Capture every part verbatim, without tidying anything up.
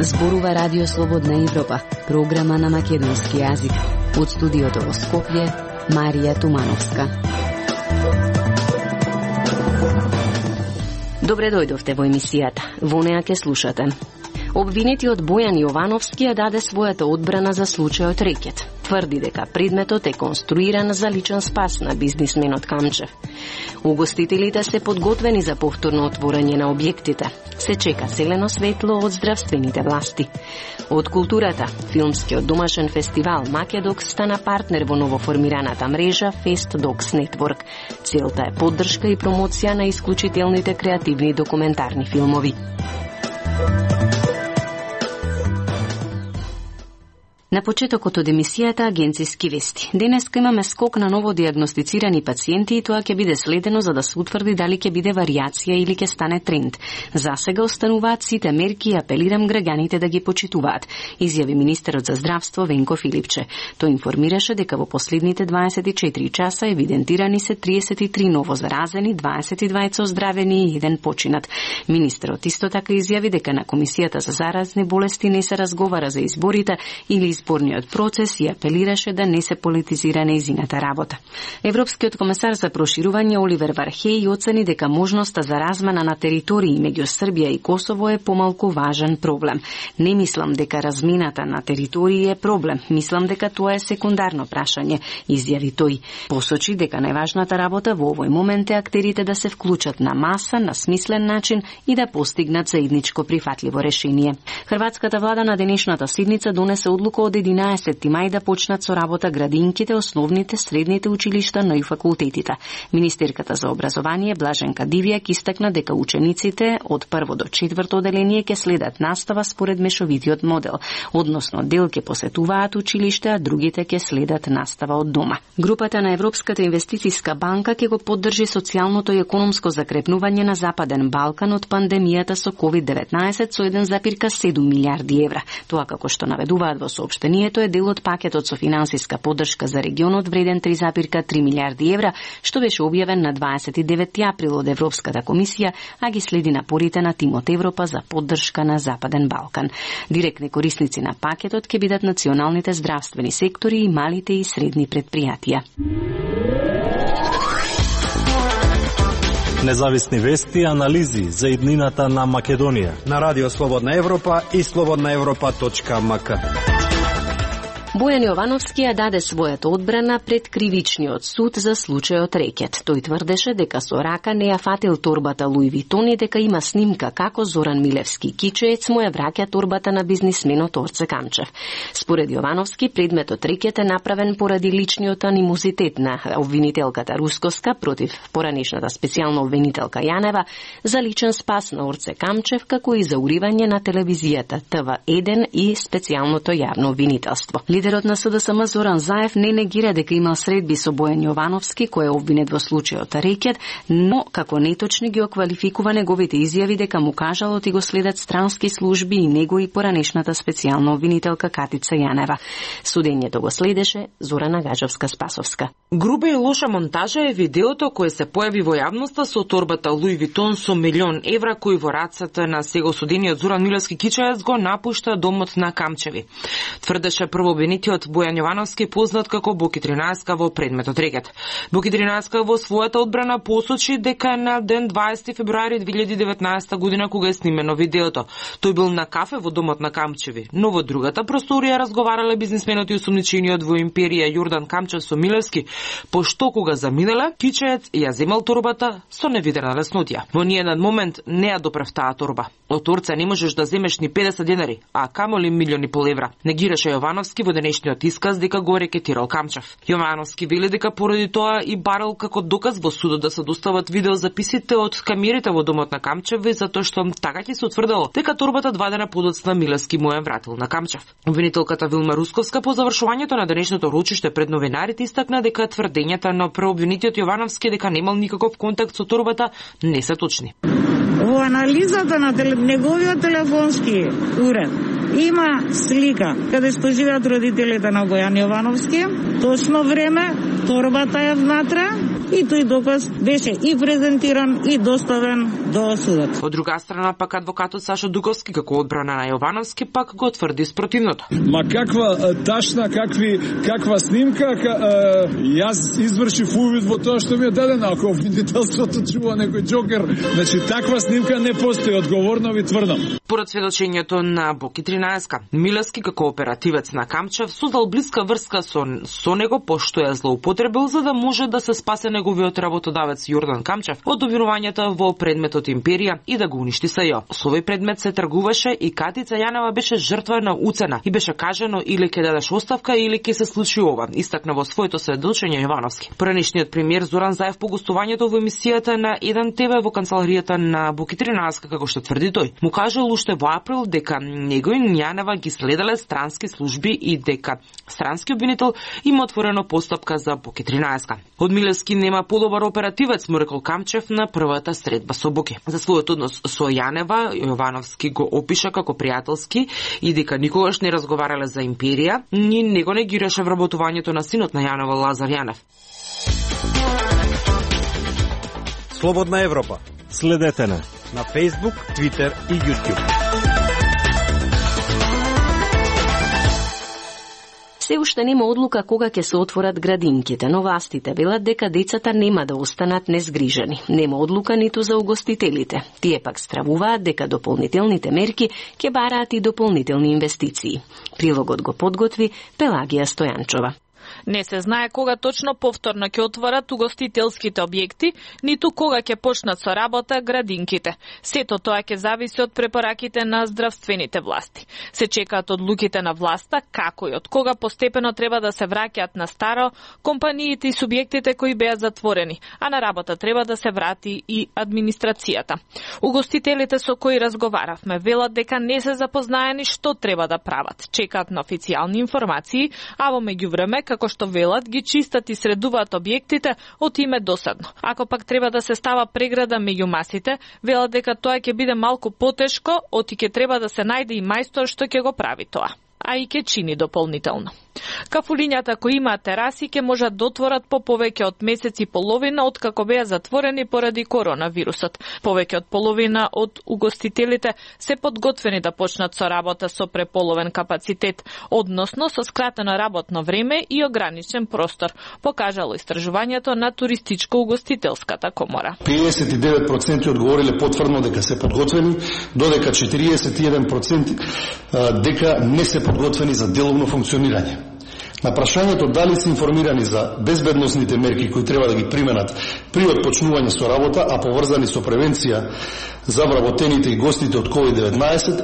Зборува Радио Слободна Европа, програма на македонски јазик. Од студиото во Скопје, Марија Тумановска. Добре дојдовте во емисијата. Во неа ке слушате. Обвинетиот Бојан Јовановски ја даде својата одбрана за случајот Рекет. Тврди дека предметот е конструиран за личен спас на бизнисменот Камчев. Угостителите се подготвени за повторно отворање на објектите. Се чека зелено светло од здравствените власти. Од културата, филмскиот домашен фестивал Македокс стана партнер во новоформираната мрежа Festdocs Network. Целта е поддршка и промоција на исклучителните креативни документарни филмови. На почетокот од емисијата агенциски вести. Денеска имаме скок на ново диагностицирани пациенти и тоа ќе биде следено за да се утврди дали ќе биде варијација или ќе стане тренд. За сега остануваат сите мерки и апелирам граѓаните да ги почитуваат, изјави министерот за здравство Венко Филипче. Тој информираше дека во последните дваесет и четири часа евидентирани се триесет и три ново заразени, дваесет и двајца оздравени и еден починат. Министерот исто така изјави дека на Комисијата за заразни болести не се разговара за изборите или изборниот процес и апелираше да не се политизира нејзината работа. Европскиот комесар за проширување Оливер Вархеј оцени дека можноста за размена на територии меѓу Србија и Косово е помалку важен проблем. Не мислам дека размената на територии е проблем, мислам дека тоа е секундарно прашање, изјави тој. Посочи дека најважната работа во овој момент е актерите да се вклучат на маса, на смислен начин и да постигнат заедничко прифатливо решение. Хрватската влада на денешната седница донесе одлука од единаесетти мај да почнат со работа градинките, основните, средните училишта, но и факултетите. Министерката за образование Блаженка Дивјак истакна дека учениците од прво до четврто оделение ќе следат настава според мешовитиот модел, односно дел ќе посетуваат училиште, а другите ќе следат настава од дома. Групата на Европската инвестициска банка ќе го поддржи социјалното и економско закрепнување на Западен Балкан од пандемијата со ковид деветнаесет со еден запирка седум милијарди евра. Тоа како што наведуваат во соопштението е дел од пакетот со финансиска поддршка за регионот вреден три запирка три милијарди евра, што беше објавен на дваесет и деветти април од Европската комисија, а ги следи напорите на тимот Европа за поддршка на Западен Балкан. Директни корисници на пакетот ќе бидат националните здравствени сектори и малите и средни предпријатија. Независни вести и анализи за иднината на Македонија на Радио Слободна Европа и слободна европа точка ем ка. Бојан Јовановски ја даде својата одбрана пред кривичниот суд за случајот Рекет. Тој тврдеше дека со рака не ја фатил торбата Луи Витон и дека има снимка како Зоран Милевски кичеец му ја враќа торбата на бизнисменот Орце Камчев. Според Јовановски, предметот Рекет е направен поради личниот анимозитет на обвинителката Рускоска против поранешната специјална обвинителка Јанева за личен спас на Орце Камчев, како и за уривање на телевизијата Т В еден и специјалното јавно обвинителство. Лидерот на С Д С М Зоран Заев не негира дека имал средби со Бојан Јовановски, кој е обвинет во случајот Рекет, но како неточни ги оквалификува неговите изјави дека му кажалот и го следат странски служби и него и поранешната специјална обвинителка Катица Јанева. Судењето го следеше Зорана Гаджовска-Спасовска. Груба и лоша монтажа е видеото кој се појави во јавноста со торбата Луи Витон со милион евра кој во рацете на сега осудениот Зоран Милевски кичеец го напушта домот на Камчеви. Тврдеше прво обвинетиот Бојан Јовановски, познат како Боки тринаесет во предметот Рекет. Боки тринаесет во својата одбрана посочи дека на ден дваесети февруари две илјади и деветнаесета година кога е снимено видеото, тој бил на кафе во домот на Камчеви, но во другата просторија разговарале бизнисменот и осумничениот во империја Јордан Камчев со Милевски, пошто кога заминале, кичеец ја земал торбата со невидена леснотија. Во ниеден момент не ја допрев таа торба. Од Орца не можеш да земеш ни педесет денари, а камоли милиони пол евра. Негираше Јовановски во денешниот исказ дека го рекетирал Камчев. Јовановски вели дека поради тоа и барал како доказ во судот да се достават видеозаписите од камерите во домот на Камчеви, затоа што така ќе се утврдило дека торбата два дена подоцна Милевски му ја вратил на Камчев. Обвинителката Вилма Русковска по завршувањето на денешното рочиште пред новинарите истакна дека тврдењата на преобвинетиот Јовановски дека немал никаков контакт со торбата не се точни. Во анализата на теле... неговиот телефонски уред има слика каде што живеат родителите на Бојан Јовановски, точно време, торбата е внатре и тој доказ беше и презентиран и доставен до судот. Од друга страна, пак адвокатот Сашо Дуговски, како одбрана на Јовановски, пак го тврди спротивното. Ма каква ташна, какви, каква снимка, јас извршив увид во тоа што ми е дадено, ако обвинителството чува некој џокер, значи таква снимка не постои, одговорно ви тврдам. Поред сведочењето на Боки тринаесет, Милевски како оперативец на Камчев создал блиска врска со, со него, пошто ја злоупотребил за да може да се спасе неговиот работодавец Јордан Камчев од обвинувањата во предметот Империја и да го уништи СЈО. Со овој предмет се тргуваше и Катица Јанева беше жртва на уцена и беше кажано или ќе дадеш оставка или ќе се случи ова, истакна во своето сведочење Јовановски. Поранешниот премиер Зоран Заев по гостувањето во емисијата на еден ТВ во канцеларијата на Боки тринаесет, како што тврди тој, му кажал уште во април дека него и Јанева ги следеле странски служби и дека странски обвинител има отворено постапка за Боки тринаесет. Од Милевски нема подобар оперативец, му рекол Камчев на првата средба со Боки. За својот однос со Јанева, Јовановски го опиша како пријателски и дека никогаш не разговарале за Империја, ни него негираше вработувањето на синот на Јанева Лазар Јанев. Слободна Европа. Следете на на Facebook, Twitter и YouTube. Се уште нема одлука кога ќе се отворат градинките, но властите велат дека децата нема да останат незгрижени. Нема одлука ниту за угостителите. Тие пак стравуваат дека дополнителните мерки ќе бараат и дополнителни инвестиции. Прилогот го подготви Пелагија Стојанчова. Не се знае кога точно повторно ќе отворат угостителските објекти, ниту кога ќе почнат со работа градинките. Сето тоа ќе зависи од препораките на здравствените власти. Се чекаат одлуките на власта како и од кога постепено треба да се враќаат на старо компаниите и субјектите кои беа затворени, а на работа треба да се врати и администрацијата. Угостителите со кои разговаравме велат дека не се запознаени што треба да прават. Чекаат на официјални информации, а во меѓувреме, како што велат, ги чистат и средуваат објектите од име досадно. Ако пак треба да се става преграда меѓу масите, велат дека тоа ќе биде малку потешко, оти ќе треба да се најде и мајстор што ќе го прави тоа, а и ќе чини дополнително. Кафулињата кои имаат тераси ќе можат да отворат по повеќе од месец и половина од како беа затворени поради коронавирусот. Повеќе од половина од угостителите се подготвени да почнат со работа со преполовен капацитет, односно со скратено работно време и ограничен простор, покажало истражувањето на Туристичко-угостителската комора. педесет и девет проценти одговориле потврдно дека се подготвени, додека четириесет и еден проценти дека не се подготвени за деловно функционирање. На прашањето дали се информирани за безбедносните мерки кои треба да ги применат при отпочнување со работа, а поврзани со превенција за вработените и гостите од ковид деветнаесет,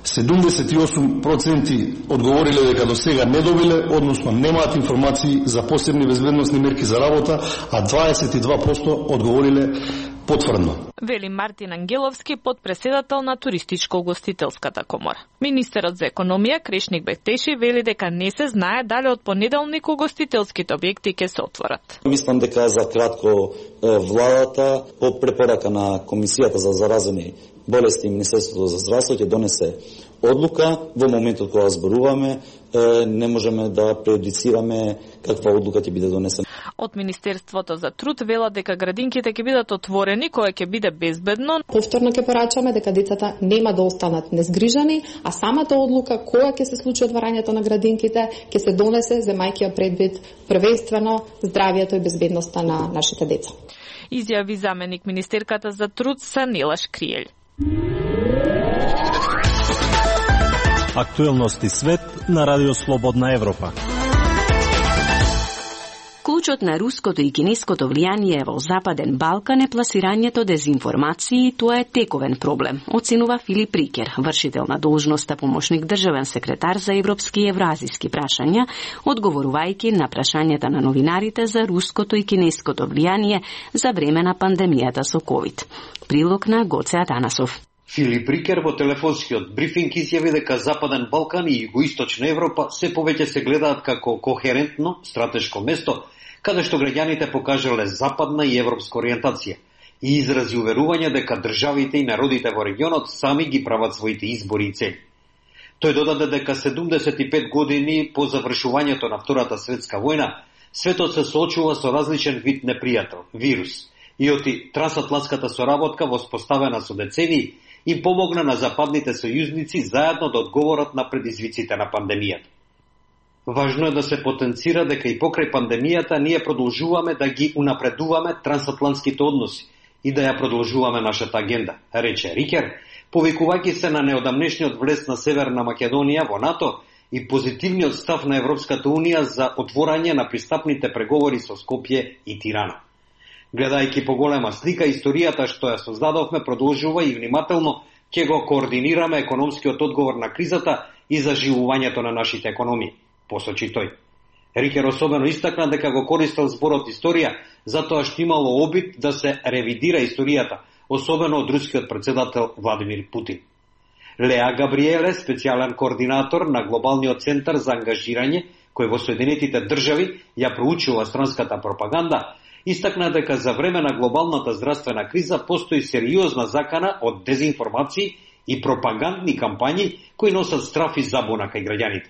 седумдесет и осум проценти одговориле дека до сега не добиле, односно немаат информации за посебни безбедносни мерки за работа, а дваесет и два проценти одговориле потврдно. Вели Мартин Ангеловски, подпредседател на Туристичко-угостителската комора. Министерот за економија Крешник Бектеши вели дека не се знае дали од понеделник угостителските објекти ќе се отворат. Мислам дека за кратко владата по препорака на Комисијата за заразени болести и Министерството за здравство ќе донесе одлука. Во моментот кога зборуваме, не можеме да преюдицираме каква одлука ќе биде донесена. Од Министерството за труд велат дека градинките ќе бидат отворени кога ќе биде безбедно. Повторно ќе порачаме дека децата нема да останат незгрижани, а самата одлука кога ќе се случи отварањето на градинките ќе се донесе земајќи ја предвид првенствено здравието и безбедноста на нашите деца. Изјави заменик министерката за труд Санила Шкријел. Актуелности свет на Радио Слободна Европа. Клучот на руското и кинеското влијание во Западен Балкан е пласирањето дезинформации и тоа е тековен проблем, оценува Филип Рикер, вршител на должноста помошник државен секретар за европски и евразиски прашања, одговорувајќи на прашањата на новинарите за руското и кинеското влијание за време на пандемијата со ковид. Прилог на Гоце Атанасов. Филип Рикер во телефонскиот брифинг изјави дека Западен Балкан и Југоисточна Европа се повеќе се гледаат како кохерентно стратешко место, каде што граѓаните покажале западна и европска ориентација и изрази уверување дека државите и народите во регионот сами ги прават своите избори и цели. Тој додаде дека седумдесет и пет години по завршувањето на Втората светска војна, светот се соочува со различен вид непријател – вирус, и оти трансатлантската соработка воспоставена со децении им помогна на западните сојузници заедно да одговорат на предизвиците на пандемијата. Важно е да се потенцира дека и покрај пандемијата ние продолжуваме да ги унапредуваме трансатлантските односи и да ја продолжуваме нашата агенда, рече Рикер, повикувајќи се на неодамнешниот влез на Северна Македонија во НАТО и позитивниот став на Европската Унија за отворање на пристапните преговори со Скопје и Тирана. Гледајќи по голема слика, историјата што ја создадовме продолжува и внимателно ќе го координираме економскиот одговор на кризата и заживувањето на нашите економии, посочи тој. Рикер особено истакна дека го користел зборот историја затоа што имало обид да се ревидира историјата, особено од рускиот председател Владимир Путин. Леа Габриеле, специјален координатор на Глобалниот центар за ангажирање, кој во Соединетите држави ја проучува странската пропаганда, истакна дека за време на глобалната здравствена криза постои сериозна закана од дезинформации и пропагандни кампањи кои носат страф и забуна кај граѓаните.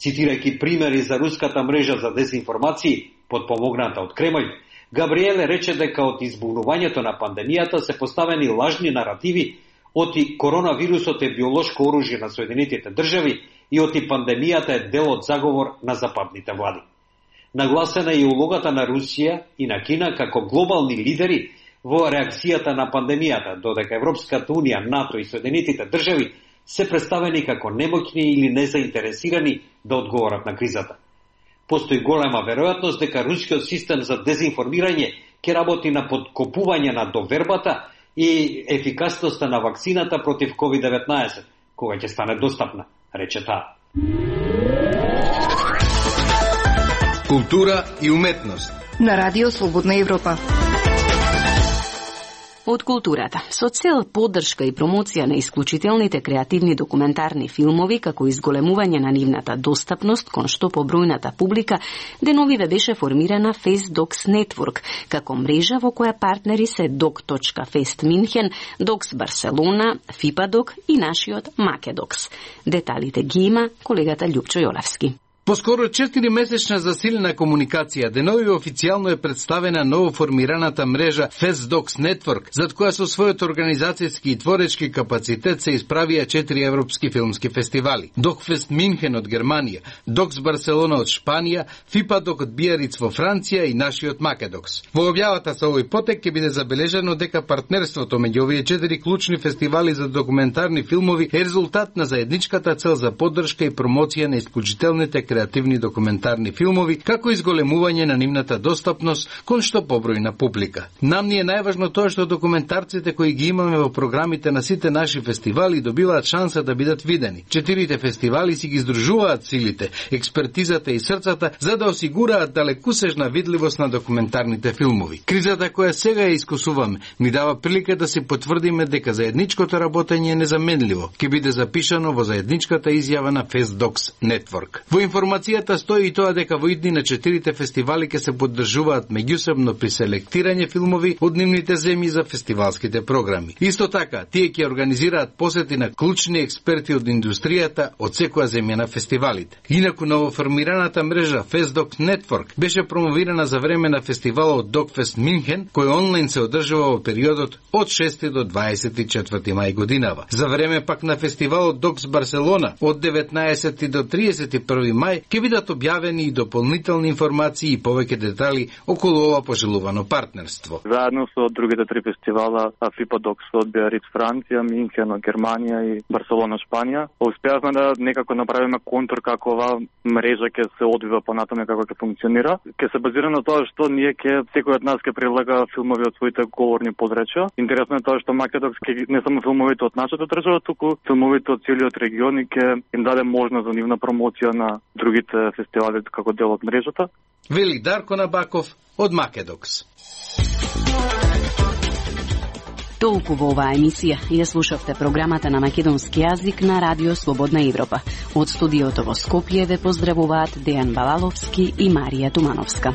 Цитирајќи примери за руската мрежа за дезинформации, подпомогната од Кремљ, Габриеле рече дека од избунувањето на пандемијата се поставени лажни наративи оти коронавирусот е биолошко оружје на Соединетите држави и оти пандемијата е дел од заговор на западните влади. Нагласена е и улогата на Русија и на Кина како глобални лидери во реакцијата на пандемијата, додека Европската Унија, НАТО и Соединетите држави се представени како немоќни или незаинтересирани да одговорат на кризата. Постои голема веројатност дека рускиот систем за дезинформирање ќе работи на подкопување на довербата и ефикасноста на вакцината против ковид деветнаесет, кога ќе стане достапна, рече таа. Култура и уметност на Радио Слободна Европа. Од културата. Со цел поддршка и промоција на исклучителните креативни документарни филмови, како изголемување на нивната достапност кон што побројната публика, деновиве беше формирана FaceDocs Network, како мрежа во која партнери се Doc точка Fest Minhen, Docs Барселона, FIPADoc и нашиот Makedocs. Деталите ги има колегата Љупчо Јолевски. Поскоро четири месечна засилена комуникација, денови официјално е представена новоформираната мрежа FaceDocs Network, зад која со својот организацијски и творечки капацитет се исправија четири европски филмски фестивали. DocFest Minhen од Германија, Docs Барселона од Шпанија, FIPADoc од Биариц во Франција и нашиот Makedocs. Во објавата со овој потек ќе биде забележено дека партнерството меѓу овие четири клучни фестивали за документарни филмови е резултат на заедничката цел за поддршка и промоција на исклучителните креативни документарни филмови, како изголемување на нивната достапност кон што побројна публика. Нам ни е најважно тоа што документарците кои ги имаме во програмите на сите наши фестивали добиваат шанса да бидат видени. Четирите фестивали си ги издружуваат силите, експертизата и срцата за да осигураат далекусежна видливост на документарните филмови. Кризата која сега ја искусуваме ни дава прилика да се потврдиме дека заедничкото работење е незаменливо. Ќе биде запишано во заедничката изјава на FaceDocs Network. Во информацијата стои и тоа дека во идни на четирите фестивали ќе се поддржуваат меѓусебно при селектирање филмови од нивните земји за фестивалските програми. Исто така, тие ќе организираат посети на клучни експерти од индустријата од секоја земја на фестивалите. Инаку новоформираната мрежа FaceDocs Network беше промовирана за време на фестивалот DocFest Minhen, кој онлайн се одржува во периодот од шести до дваесет и четврти мај годинава. За време пак на фестивалот Docs Барселона од деветнаесети до триесет и први мај ќе бидат објавени и дополнителни информации и повеќе детали околу ова пожелувано партнерство. Заедно со другите три фестивала, FIPADocs од Биариц Франција, Минхен од Германија и Барселона Шпанија, успеавме да некако направиме контур како ова мрежа ќе се одвива понатаму, како ќе функционира. Ќе се базира на тоа што ние ќе секој од нас ќе прилага филмови од своите говорни подречја. Интересно е тоа што Makedocs ќе не само филмовите од нашата држава, туку филмовите од целиот регион и ќе им даде можност за нивна промоција на другите фестивали како дел од мрежата. Вели Дарко Набаков од Makedocs. Толку во оваа емисија ја слушавте програмата на македонски јазик на Радио Слободна Европа. Од студиото во Скопје ве поздравуваат Дејан Балаловски и Марија Тумановска.